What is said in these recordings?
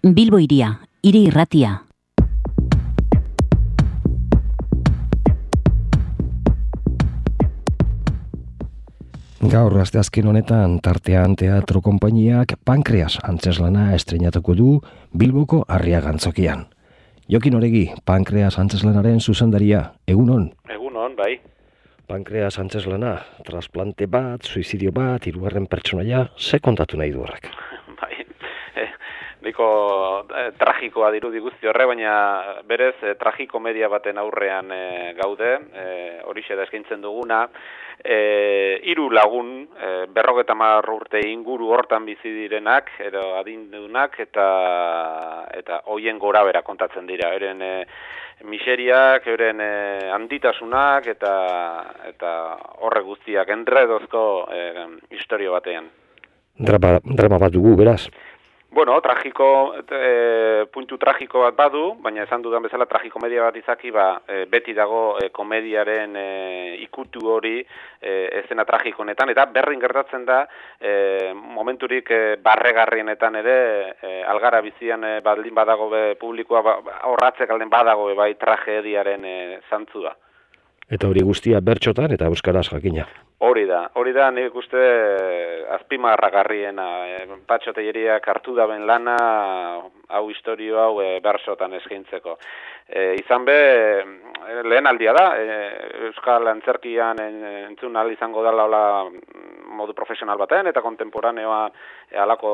Bilbo Hiria, hiri irratia. Gaur asteazken honetan tartean teatro konpainiak Pankreas antzeslana estreinatuko du Bilboko Arriagantzokian. Jokin Oregi, Pankreas antzeslanaren zuzendaria, egunon? Egunon, bai. Pankreas antzeslana, trasplante bat, suizidio bat, hirugarren pertsonaia, ze kontatu nahi du horrek? Bai, niko tragikoa dirudi guzti horre, baina berez tragikomedia baten aurrean gaude, horixe da eskaintzen duguna. 3 lagun, 50 urte inguru hortan bizi direnak, edo adindunak, eta hoien gorabera kontatzen dira. Euren miseriak, euren handitasunak, eta horre guztiak enredozko historio batean. Drama bat dugu, beraz? Bueno, puntu tragiko bat badu, baina esan dudan bezala tragikomedia bat izaki, beti dago komediaren ikutu hori eszena tragikonetan, eta berdin gertatzen da momenturik barregarrienetan ere algara bizian baldin badago publikoa horratzek alden badago bai tragediaren zantzua. Eta hori guztia bertxotan eta euskaraz jakina. Hori da nik uste azpimarragarriena, Patxo Telleriak hartu daben lana, hau historio hau bertsotan eskaintzeko. Izan be, lehen aldia da, Euskal Antzerkian entzun ahal izango dela modu profesional batean, eta kontemporaneoa halako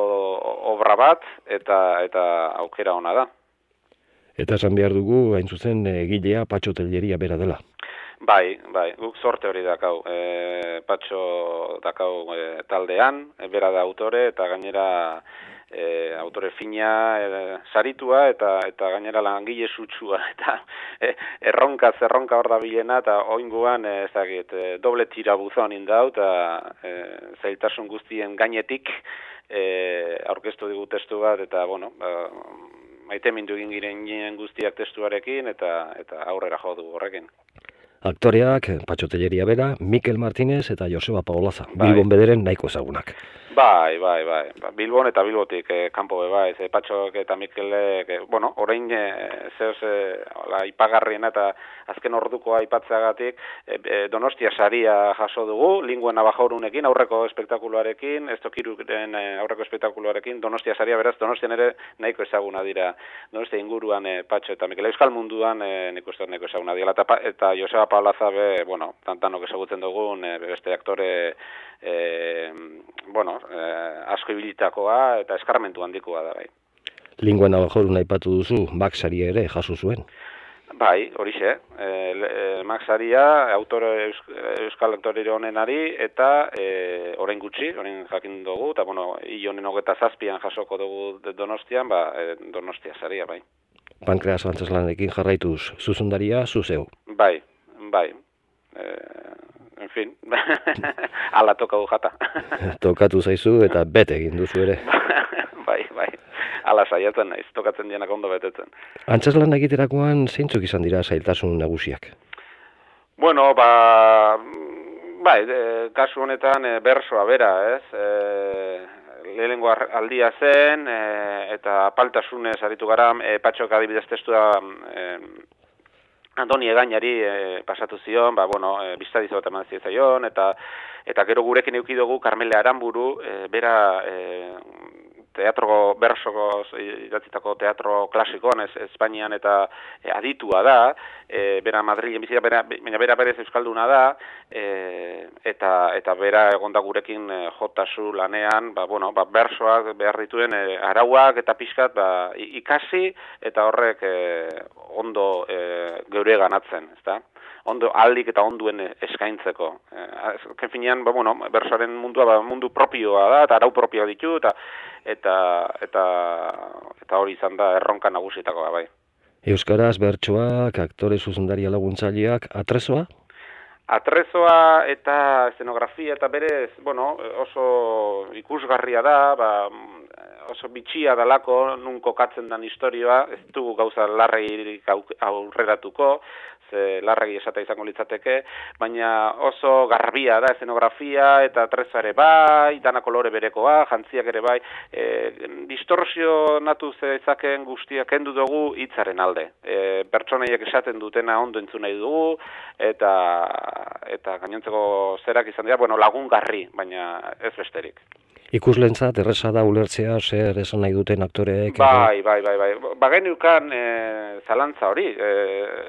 obra bat, eta aukera ona da. Eta esan behar dugu, hain zuzen, egilea Patxo Telleria bera dela. Bai, guk sorte hori dakau, Patxo dakau taldean, bera da autore, eta gainera autore fina, saritua, eta gainera langile sutsua, eta erronka hor da bilena, eta oinguan, doble tirabuzon indau, eta zailtasun guztien gainetik aurkeztu digu testu bat, eta, maite mindu egin giren guztiak testuarekin, eta aurrera jo du horrekin. Aktoreak, Patxo Telleria bera, Mikel Martínez eta Joseba Paolaza, Bilbon bederen nahiko ezagunak. Bai, Bilbon eta Bilbotik kanpo bai, Patxok eta Mikelek, orain ipagarriena eta azken ordukoa aipatzeagatik Donostia saria jaso dugu, Linguen Abajorunekin, aurreko espektakuluarekin, Estokiruren aurreko espektakuluarekin, Donostia saria, beraz, Donostian ere nahiko ezaguna dira, Donostia inguruan Patxo eta Mikel, Euskal munduan nik uste nahiko ezaguna dira, eta Joseba Paolaza be, tantanok ezagutzen dugun, beste aktore, asko ibilitakoa eta eskarmentu handikoa da, bai. Linguen Abajorun aipatu duzu, Max saria ere jaso zuen. Bai, horixe. Max saria, euskal aktore honenari, eta orain gutxi, orain jakin dugu, eta hil honen 27an jasoko dugu Donostian, Donostia saria, bai. Pankreas antzeslanarekin jarraituz, zuzundaria, zuzeu. Bai. En fin, ala tokatu jata. Tokatu zaizu eta bete egin duzu ere. Bai, ala saiatzen naiz, tokatzen dienak ondo betetzen. Antzeslan egiterakoan zeintzuk izan dira zailtasun nagusiak? Kasu honetan bersoa bera, ez? Lehenengo aldia zen, eta apaltasunez aritu gara, Patxok adibidez testua Andoni Egainari pasatu zion, biztadizo bat eman zaion, eta gero gurekin eduki dugu Karmele Aranburu, bera teatro bersoko idatzitako teatro klasikoan, Espainian eta aditua da, bera Madrilen bizi da, baina bera berez euskalduna da, eta bera egonda gurekin jotasu lanean, bersoak behar dituen arauak eta pixkat ikasi, eta horrek ondo geure ganatzen, ezta? Ondo aldik eta onduen eskaintzeko. Azken finean, bersoaren mundua mundu propioa da, eta arau propioa ditu, eta hori izan da erronka nagusietakoa, bai. Euskaraz, bertsoak, aktore zuzendaria laguntzaileak, atrezoa? Atrezoa eta eszenografia eta berez, oso ikusgarria da, oso bitxia dalako nun kokatzen den historioa, ez dugu gauza larregirik aurreratuko, ze larregi esata izango litzateke, baina oso garbia da eszenografia eta treza ere bai, dana kolore berekoa, jantziak ere bai, distorsionatu zezakeen guztiak kendu dugu hitzaren alde. Pertsonaiek esaten dutena ondo entzun nahi dugu, eta gainontzeko zerak izan dira, lagungarri, baina ez besterik. Ikuslentzat erresa da ulertzea zer esan nahi duten aktoreek. Bai. Bageniukan zalantza hori,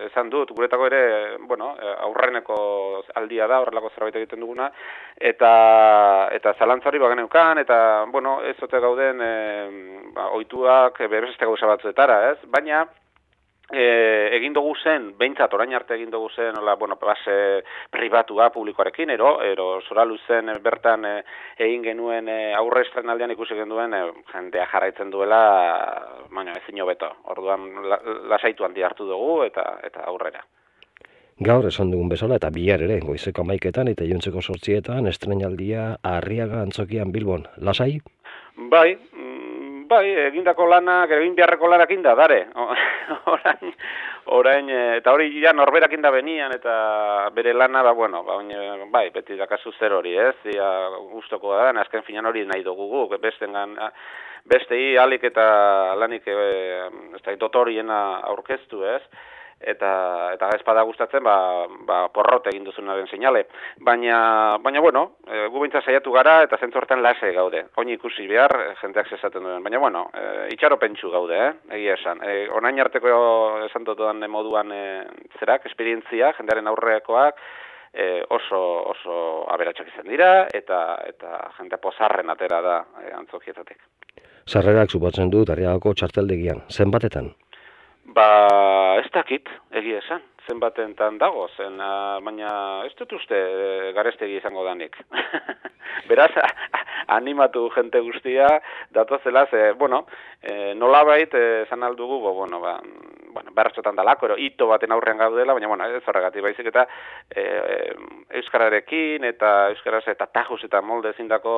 esan dut, guretako ere, aurreneko aldia da, horrelako zerbait egiten duguna, eta zalantza hori bageniukan, eta, ez ote gauden ohituak beste gauza batzuetara, ez? Baina, egin dugu zen, behintzat orain arte egin dugu zen, base pribatua publikoarekin, ero Zoralu zen bertan egin genuen aurre estrenaldian ikusi genuen jendea jarraitzen duela, baina ezin hobeto. Orduan lasaitu handi hartu dugu eta aurrera. Gaur esan dugun bezala eta bihar ere, goizeko 11etan eta iluntzeko 8etan estrenaldia Arriaga Antzokian Bilbon. Lasai? Bai, egindako lanak, egin beharreko lanak inda, dare. Orain, eta hori ja norberak inda benian, eta bere lana, beti dakazu zer hori, ez? Gustoko da, azken finan hori nahi dugu, bestei alik eta lanik dotoriena aurkeztu, ez? Eta espada gustatzen, porrot egin duzunaren seinale. Baina gu bintza saiatu gara eta zentzu hortan lase gaude. Oin ikusi behar, jendeak zesaten duen. Baina itxaro pentsu gaude, egia esan. Onain arteko esan dutuan moduan esperientzia, jendearen aurrekoak, oso aberatsak izan dira, eta jendea pozarren atera da antzokietatik. Sarrerak suposatzen dut Arriagako txarteldegian, zenbatetan? Ez dakit, egia esan, zenbatentan dago, baina ez dut uste garestegi izango danik. Beraz, animatu jente guztia, datozela, nolabait esan aldugu, bertxotan dalako, hito baten aurrean gaudela, baina ez horregatik baizik eta euskararekin eta euskaraz eta tajus eta molde zindako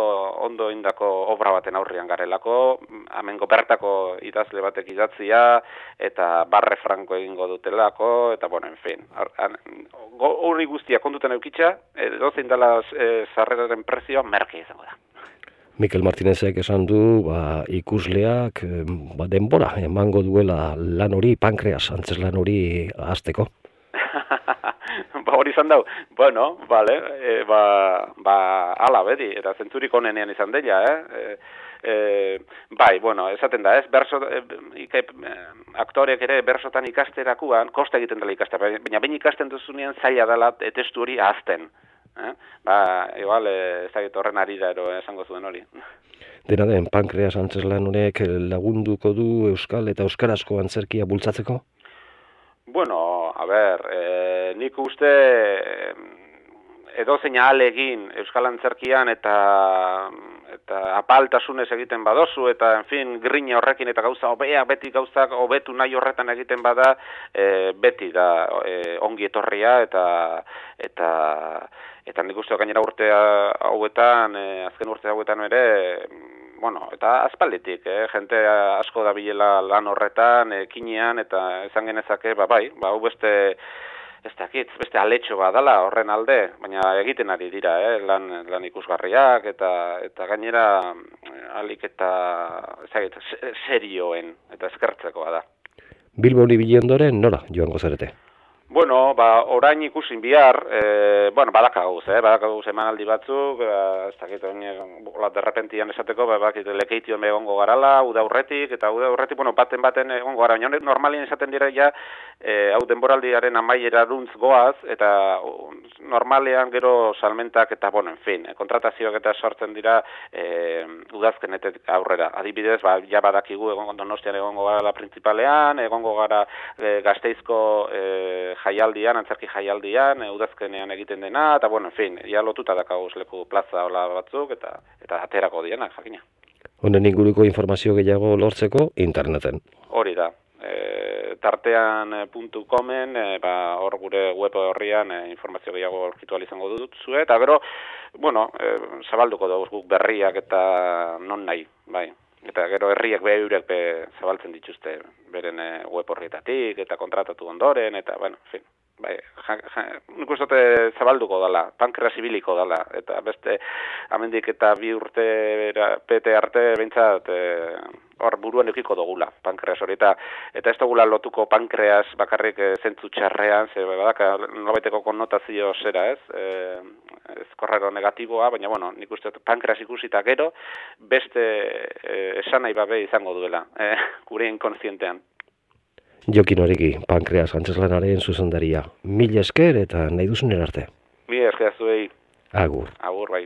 ondo indako obra baten aurrean garelako, amengo bertako idazle batek idatzia eta barre franko egingo dutelako, eta en fin. Hori guztia kontutan eukitza, dozein dela sarreraren prezioa merke izango da. Mikel Martinezek esan du, ikusleak denbora emango duela lan hori, pankreas, antzeslan hori hasteko. Hori izan dau, bale, ala bedi, eta zentzurik onenean izan dela, esaten da, aktoreak ere bersotan ikasterakuan, kosta egiten dela ikastea, baina behin ikasten duzunean zaila dela testu hori ahazten. Igual, ez da horren ari da esango zuen hori. Dena den, pankreas antzeslan honek lagunduko du euskal eta euskarazko antzerkia bultzatzeko? Nik uste edozein ahalegin euskal antzerkian eta apaltasunez egiten badozu, eta, grina horrekin eta gauza beti gauzak hobetu nahi horretan egiten bada, beti da ongi etorria, eta nik uste gainera urte hauetan, azken urte hauetan ere, eta aspalditik, jente asko da bilela lan horretan, ekinean, eta esan genezake, hau beste aletxo badala horren alde, baina egiten ari dira, lan ikusgarriak, eta gainera alik eta serioen, eta eskertzekoa da. Bilbon ibili ondoren, nora joango zarete? Orain ikusin bihar, badakaguz emanaldi batzuk, ez dakit, derrepentian esateko, lekeition egongo garala, uda aurretik, baten egongo gara, baina normalien esaten dira ja, hau denboraldiaren amaiera duntz goaz, eta normalean gero salmentak, eta kontratazioak eta sortzen dira udazkenetek aurrera. Adibidez, ja badakigu Donostian egongo gara la principalean, egongo gara Gasteizko jaialdian, antzerki jaialdian, udazkenean egiten dena, eta ja lotuta dakauz leku plaza hola batzuk, eta aterako dienak, jakina. Honen inguruko informazio gehiago lortzeko interneten. Hori da. Tartean.comen, hor gure web horrian informazio gehiago aurkitu izango dutzu, eta gero, zabalduko dugu guk berriak eta non nahi, eta gero herriek eurek zabaltzen dituzte beren web horretatik eta kontratatu ondoren, eta, bueno, en fin, bai, nik uste zabalduko dela, pankreas ibiliko dela, eta beste amendik eta 2 urte pete arte behintzat hor buruan eukiko dugula, pankreas hori, eta ez dugula lotuko pankreas bakarrik zentzu txarrean, ze badaka nobaiteko konnotazio zera, ez korrero negatiboa, baina, bueno, nik uste pankreas ikusita gero, beste esanai babe izango duela, gure inkonzientean. Jokin Oregi, pankreas antzeslanaren zuzendaria. Mil esker eta nahi duzun erarte. Mil esker zuei. Agur. Agur, bai.